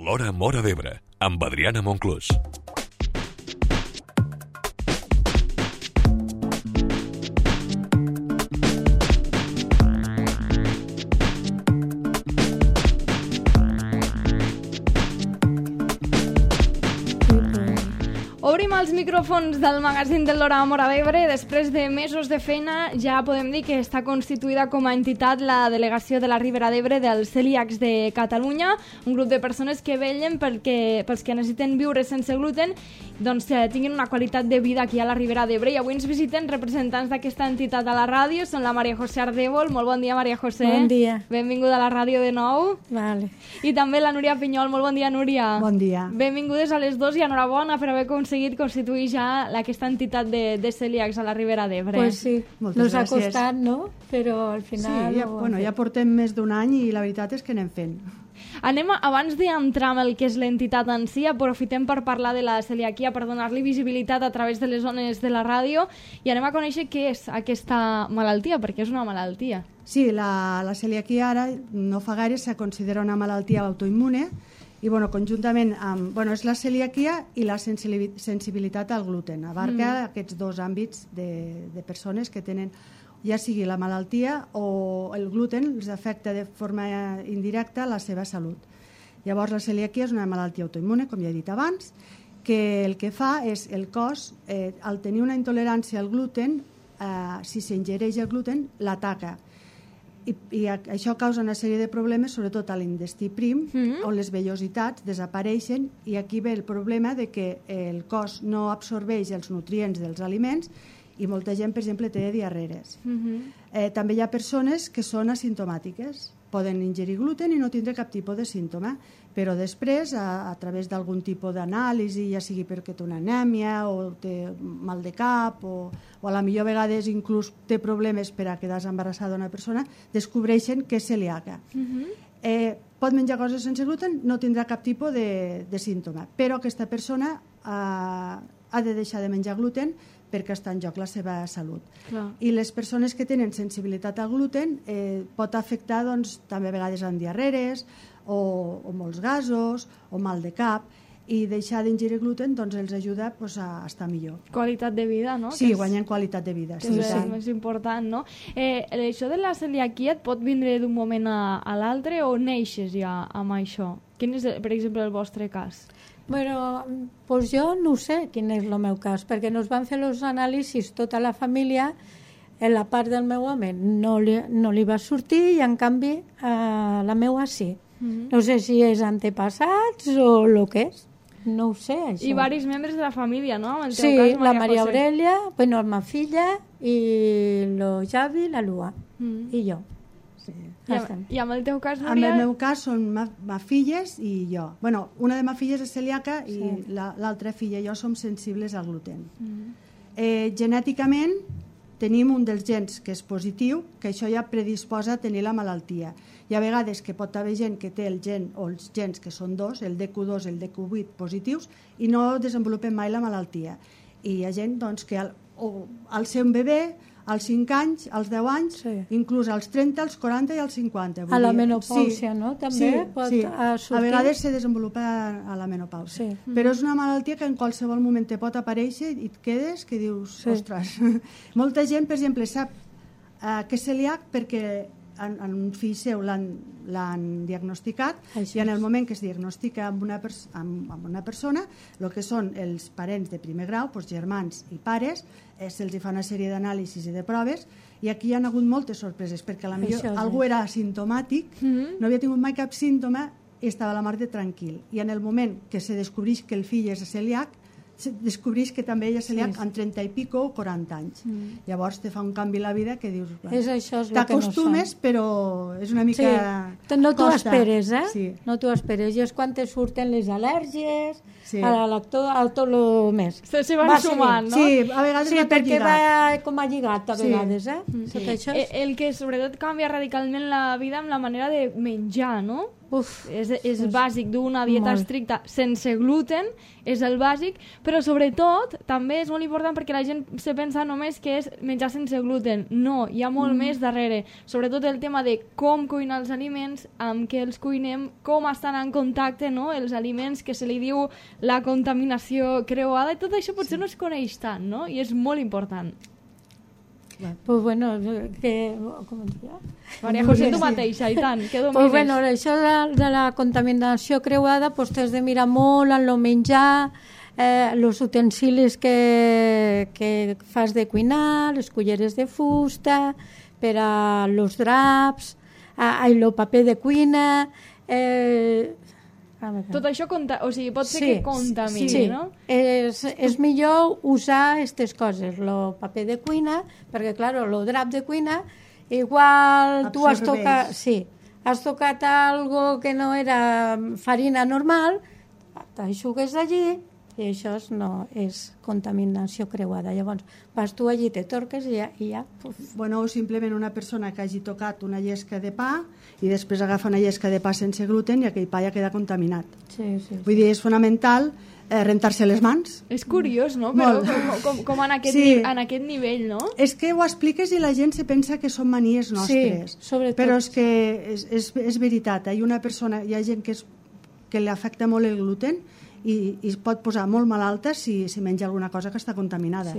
L'Hora Móra d'Ebre, amb Adriana Monclús. Obrim els micròfons del magazín de l'Hora Móra d'Ebre. Després de mesos de feina ja podem dir que està constituïda com a entitat la delegació de la Ribera d'Ebre dels celíacs de Catalunya, un grup de persones que vetllen pels que necessiten viure sense gluten, doncs tinguin una qualitat de vida aquí a la Ribera d'Ebre. I avui ens visiten representants d'aquesta entitat a la ràdio, són la Maria José Ardèvol. Molt bon dia, Maria José. Bon dia. Benvinguda a la ràdio de nou. Vale. I també la Núria Pinyol. Molt bon dia, Núria. Bon dia. Benvingudes a les dos i enhorabona per haver aconseguit constituir ja aquesta entitat de celíacs a la Ribera d'Ebre. Pues sí, Moltes ha gràcies. costat, no? Però al final... Sí, ja portem més d'un any i la veritat és que anem fent. Abans d'entrar en el que és l'entitat en si, aprofitem per parlar de la celiaquia, per donar-li visibilitat a través de les zones de la ràdio, i anem a conèixer què és aquesta malaltia, perquè és una malaltia. Sí, la celiaquia ara no fa gaire se considera una malaltia autoimmune i conjuntament amb... és la celiaquia i la sensibilitat al gluten. Abarca aquests dos àmbits de persones que tenen, ja sigui la malaltia o el gluten, els afecta de forma indirecta la seva salut. Llavors, la celiaquia és una malaltia autoimmune, com ja he dit abans, que el que fa és el cos, al tenir una intolerància al gluten, si s'ingereix el gluten, l'ataca. I això causa una sèrie de problemes, sobretot a l'intestí prim, on les vellositats desapareixen, i aquí ve el problema de que el cos no absorbeix els nutrients dels aliments i molta gent, per exemple, té diarreres. També hi ha persones que són asimptomàtiques. Poden ingerir gluten i no tindre cap tipus de símptoma, però després, a través d'algun tipus d'anàlisi, ja sigui perquè té una anèmia o té mal de cap o a la millor vegades inclús té problemes per a quedar-se embarassada una persona, descobreixen que és celíaca. Pot menjar coses sense gluten, no tindrà cap tipus de símptoma, però aquesta persona ha de deixar de menjar gluten perquè està en joc la seva salut. Clar. I les persones que tenen sensibilitat al gluten pot afectar també a vegades amb diarreres o molts gasos o mal de cap, i deixar d'ingerir gluten els ajuda a estar millor. Qualitat de vida, no? Sí, guanyen qualitat de vida. Que és el més important, no? Això de la celiaquia et pot vindre d'un moment a l'altre o neixes ja amb això? Quin és, per exemple, el vostre cas? Bueno, pues jo no sé quin és el meu cas, perquè nos van fer els anàlisis tota la família, en la part del meu home no li va sortir i en canvi la meua sí. No sé si és antepassats o el que és, no ho sé això. I varis membres de la família, no? En el teu Sí, cas, la Maria José. Aurelia, la meva filla i el Javi, la Lua i jo. I amb el teu cas, En Núria? el meu cas són ma filles i jo. Una de ma filles és celíaca i l'altra filla i jo som sensibles al gluten. Genèticament tenim un dels gens que és positiu, que això ja predisposa a tenir la malaltia. Hi ha vegades que pot haver gent que té el gen o els gens que són dos, el DQ2 i el DQ8 positius, i no desenvolupen mai la malaltia. I hi ha gent que al ser un bebè, als 5 anys, als 10 anys, inclús als 30, als 40 i als 50. A la menopàusia, no? També pot sortir. A vegades se desenvolupa a la menopàusia. Sí. Però és una malaltia que en qualsevol moment te pot aparèixer i et quedes que dius, ostres. Molta gent, per exemple, sap que és celíac perquè en un fill seu l'han diagnosticat i en el moment que es diagnostica amb una persona, el que són els parents de primer grau, germans i pares, se'ls fa una sèrie d'anàlisis i de proves, i aquí hi ha hagut moltes sorpreses, perquè potser algú era asimptomàtic, no havia tingut mai cap símptoma i estava a la mar de tranquil. I en el moment que se descobreix que el fill és celíac, descobreix que també ella és celíac amb 30 i pico o 40 anys. Llavors te fa un canvi a la vida que dius... T'acostumes, però és una mica... No t'ho costa. esperes, Sí. No t'ho esperes. I és quan te surten les al·lèrgies, a l'actor, al tot el més. Se van sumant, no? Sí, a vegades va tot perquè lligat. va com a lligat a vegades, El que sobretot canvia radicalment la vida amb la manera de menjar, no? És bàsic d'una dieta estricta sense gluten, és el bàsic, però sobretot també és molt important perquè la gent se pensa només que és menjar sense gluten. No, hi ha molt més darrere. Sobretot el tema de com cuinar els aliments, amb què els cuinem, com estan en contacte, no? Els aliments que se li diu la contaminació creuada, i tot això potser no es coneix tant, no? I és molt important. Pues bueno, que... Com es diu? Maria José, tu mateixa, i tant, que domines. Pues bueno, això de la contaminació creuada, pues t'has de mirar molt en el menjar, els utensilis que fas de cuinar, les culleres de fusta, per a los draps, el paper de cuina... Tot això pot ser que contamini, no? És millor usar aquestes coses, el paper de cuina, perquè, clar, el drap de cuina, igual tu has tocat algo que no era farina normal, t'aixugues allí, i això no és contaminació creuada. Llavors, vas tu allí, te torques i ja... Bueno, o simplement una persona que hagi tocat una llesca de pa i després agafa una llesca de pa sense gluten i aquell pa ja queda contaminat. Vull dir, és fonamental rentar-se les mans. És curiós, no? Però com en aquest nivell, no? És que ho expliques i la gent se pensa que són manies nostres. Però és que és veritat. Hi ha gent que li afecta molt el gluten i es pot posar molt malalta si menja alguna cosa que està contaminada.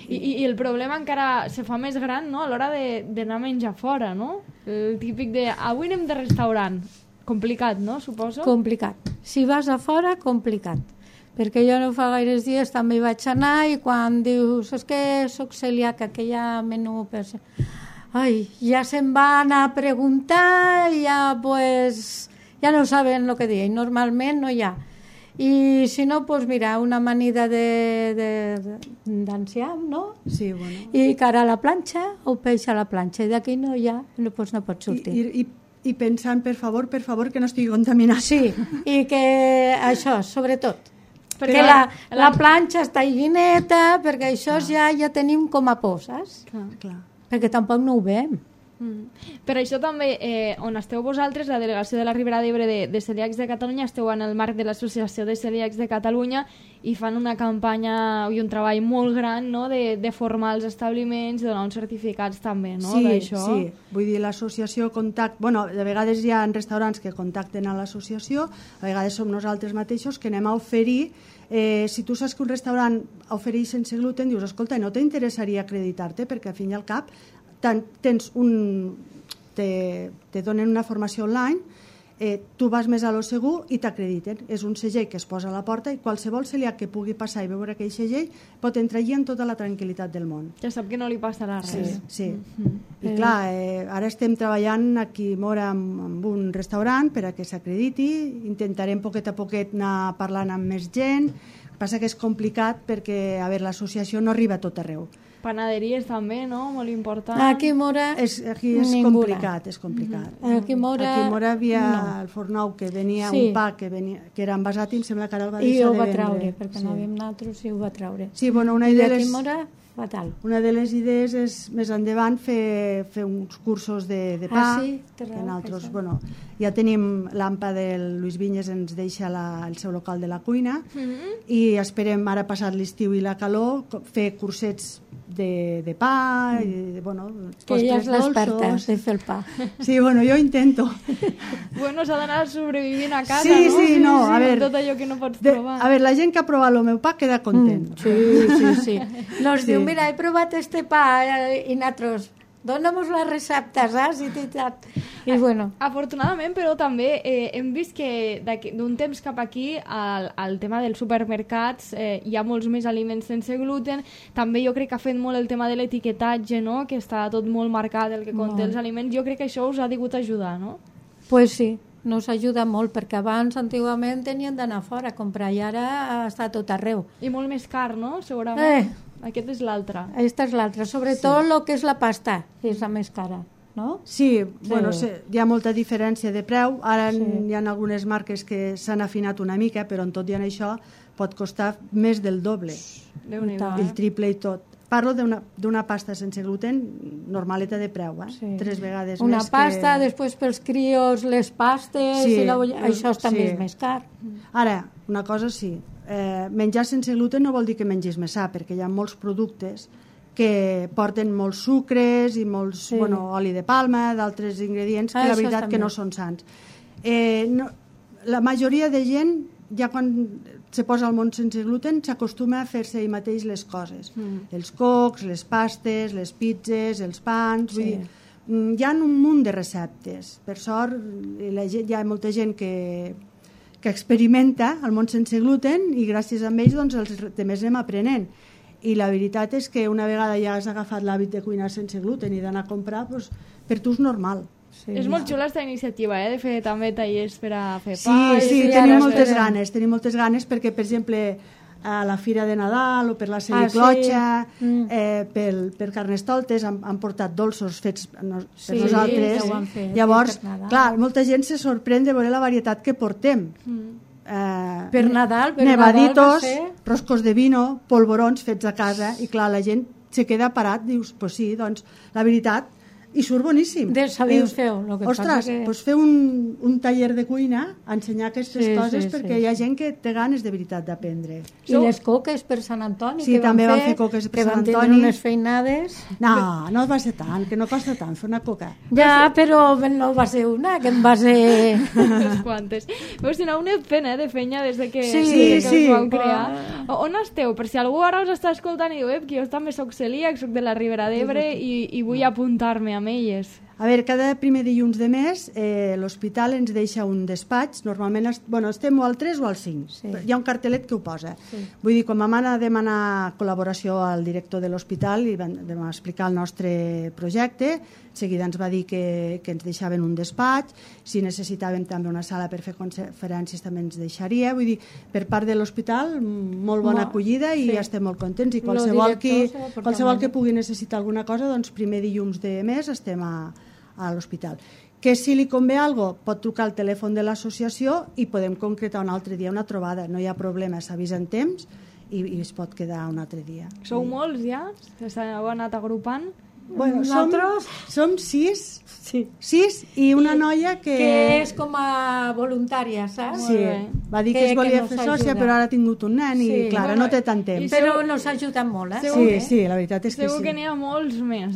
I el problema encara se fa més gran, no?, a l'hora d'anar a menjar fora, no? El típic de avui anem de restaurant. Complicat, no?, suposo? Complicat. Si vas a fora, complicat. Perquè jo no fa gaires dies també hi vaig anar i quan dius, és que soc celíaca, que hi ha menú per... ja se'n van a preguntar i ja no saben el que dir. Normalment no hi ha. I si no, doncs mira, una amanida d'enciam, no? Sí, bueno. I cara a la planxa o peix a la planxa. I d'aquí no pot sortir. I pensant, per favor, que no estigui contaminat. Sí, i que això, sobretot. Perquè la planxa està higieneta, perquè això ja tenim com a por, saps? Clar. Perquè tampoc no ho veiem. Per això també, on esteu vosaltres, la delegació de la Ribera d'Ebre de Celíacs de Catalunya, esteu en el marc de l'Associació de Celíacs de Catalunya i fan una campanya i un treball molt gran, no?, de formar els establiments i donar uns certificats també, no?, d'això. Sí, vull dir, l'associació de vegades hi ha restaurants que contacten a l'associació, a vegades som nosaltres mateixos que anem a oferir. Si tu saps que un restaurant ofereix sense gluten, dius, escolta, no t'interessaria acreditar-te, perquè al fin i al cap te donen una formació online, tu vas més a lo segur i t'acrediten. És un segell que es posa a la porta i qualsevol celíac que pugui passar i veure aquell segell pot entrar allí amb tota la tranquil·litat del món. Ja sap que no li passarà res. Sí. I clar, ara estem treballant aquí a Móra amb un restaurant per a que s'acrediti, intentarem poquet a poquet anar parlant amb més gent. El que passa que és complicat perquè l'associació no arriba a tot arreu. Panaderies també, no? Molt important. Aquí a Móra és complicat, és complicat. Aquí a Móra havia el Fornou que venia un pa que era envasat i em sembla que ara el va deixar de vendre. I ho va traure, perquè no havíem nosaltres i ho va traure. Sí, bueno, una de les idees és més endavant fer uns cursos de pa. Que nosaltres, ja tenim l'AMPA del Lluís Vinyes, ens deixa el seu local de la cuina i esperem ara passat l'estiu i la calor fer cursets de pa i que ja és l'experta de fer el pa. Sí, jo intento. S'ha d'anar sobrevivint a casa, no? A veure, tot allò que no pots provar. A veure, la gent que ha provat el meu pa queda content. Sí. Nos diu, mira, he provat este pa i nosaltres, dóna'm la recepta, saps? I bueno. Afortunadament, però també hem vist que d'un temps cap aquí al tema dels supermercats hi ha molts més aliments sense gluten. També jo crec que ha fet molt el tema de l'etiquetatge, no?, que està tot molt marcat el que conté els aliments. Jo crec que això us ha degut ajudar, no? Pues sí, nos ajuda molt, perquè abans, antigament, tenien d'anar fora a comprar i ara està tot arreu. I molt més car, no?, segurament. Aquest és l'altre. Aquesta és l'altra. Sobretot el que és la pasta, és la més cara. No? Sí, hi ha molta diferència de preu. Ara hi ha algunes marques que s'han afinat una mica, però en tot i en això pot costar més del doble. Déu-n'hi-do, el triple i tot. parlo d'una pasta sense gluten normaleta de preu, Sí. 3 vegades Una més pasta, que... després pels crios les pastes, Sí, això també sí. és més car. Ara, una cosa sí, menjar sense gluten no vol dir que mengis més sa, perquè hi ha molts productes que porten molts sucres i molts, Sí. oli de palma, d'altres ingredients que la Això veritat que també. no són sants. La majoria de gent, ja quan se posa al món sense gluten, s'acostuma a fer-se ell mateix les coses. Els cocs, les pastes, les pizzas, els pans... Vull dir, hi ha un munt de receptes. Per sort, hi ha molta gent que experimenta el món sense gluten i gràcies a ells doncs, els altres anem aprenent. I la veritat és que una vegada ja has agafat l'hàbit de cuinar sense gluten i d'anar a comprar, doncs, per tu és normal. Sí. És molt xula aquesta iniciativa, de fer també tallers per a fer Sí, pa. tenim moltes ganes perquè, per exemple, a la Fira de Nadal o per la Celiclotxa, per Carnestoltes han portat dolços fets per nosaltres. ja ho han fet, Llavors, per Nadal. clar, molta gent se sorprèn de veure la varietat que portem. Per Nadal nevaditos, va ser... roscos de vino, polvorons fets a casa, i clar, la gent se queda parat, dius, pues sí, doncs la veritat, i surt boníssim. Sabeu feu, el que ostres, passa que... pues fer un taller de cuina, ensenyar aquestes coses, perquè hi ha sí. gent que té ganes de veritat d'aprendre. I les coques per Sant Antoni, Sí, que també van fer coques per Sant que van Antoni. tindre unes feinades. No va ser tant, que no costa tant fer una coca. Ja, però no va ser una, que en va ser... Unes quantes. Veus, si no, una pena de feina des de que, Sí. us vau crear. On esteu? Per si algú ara us està escoltant i diu, que jo també soc celíac, soc de la Ribera d'Ebre i vull apuntar-me amb elles. A veure, cada primer dilluns de mes l'hospital ens deixa un despatx, normalment estem o al 3 o al 5, Sí. hi ha un cartelet que ho posa. Vull dir, quan vam anar a demanar col·laboració al director de l'hospital i vam explicar el nostre projecte, seguida ens va dir que ens deixaven un despatx, si necessitàvem també una sala per fer conferències també ens deixaria, vull dir, per part de l'hospital molt bona acollida i estem molt contents i qualsevol que pugui necessitar alguna cosa, doncs primer dilluns de mes estem a l'hospital. Que si li convé alguna cosa, pot trucar al telèfon de l'associació i podem concretar un altre dia una trobada, no hi ha problema, s'avisa en temps i es pot quedar un altre dia. Sou molts ja? S'heu anat agrupant? Bueno, Nosaltres... som 6 i una noia que és com a voluntària, saps? Sí, va dir que es volia fer sòcia, però ara ha tingut un nen i, clar, no té tant temps. Però nos ha ajudat molt, Sí, la veritat és que Segur sí. que n'hi ha molts més,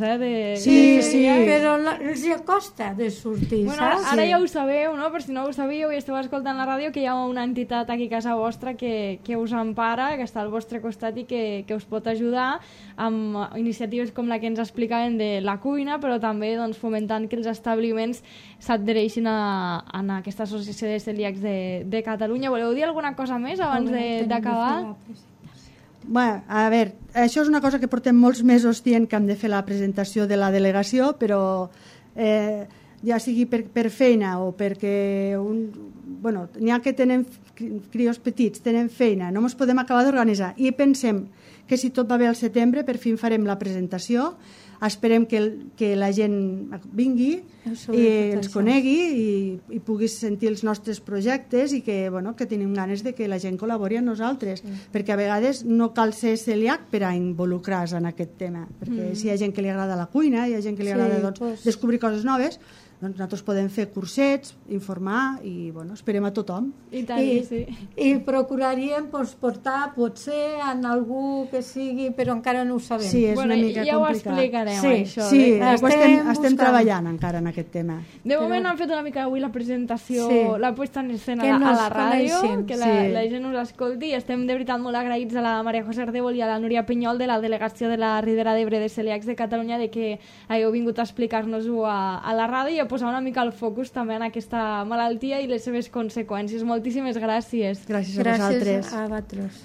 Sí. Però els costa de sortir, Bueno, saps? ara ja ho sabeu, no? Per si no ho sabíeu i esteu escoltant la ràdio, que hi ha una entitat aquí a casa vostra que us empara, que està al vostre costat i que us pot ajudar amb iniciatives com la que ens explicaven de la cuina, però també doncs, fomentant que els establiments s'adhereixin a aquesta associació de celíacs de Catalunya. Voleu dir alguna cosa més abans d'acabar? Bueno, a veure, això és una cosa que portem molts mesos dient que hem de fer la presentació de la delegació, però ja sigui per feina o perquè n'hi ha que tenen crios petits, tenen feina, no ens podem acabar d'organitzar i pensem que si tot va bé al setembre per fi farem la presentació, esperem que la gent vingui i ens conegui i pugui sentir els nostres projectes i que tenim ganes de que la gent col·labori amb nosaltres, perquè a vegades no cal ser celíac per a involucrar-se en aquest tema, perquè si hi ha gent que li agrada la cuina, hi ha gent que li agrada descobrir coses noves, doncs nosaltres podem fer cursets, informar i esperem a tothom. I tant, sí. I procuraríem portar potser en algú que sigui, però encara no ho sabem. Sí, és una mica ja complicat. ho explicarem, això. Sí, estem treballant encara en aquest tema. De moment han fet una mica avui la presentació, la puesta en escena a la ràdio, que la gent us escolti, i estem de veritat molt agraïts a la Maria José Ardèvol i a la Núria Pinyol de la delegació de la Ribera d'Ebre de Celíacs de Catalunya de que hagueu vingut a explicar-nos-ho a la ràdio i a posar una mica el focus també en aquesta malaltia i les seves conseqüències. Moltíssimes gràcies. Gràcies a vosaltres. Gràcies a vosaltres.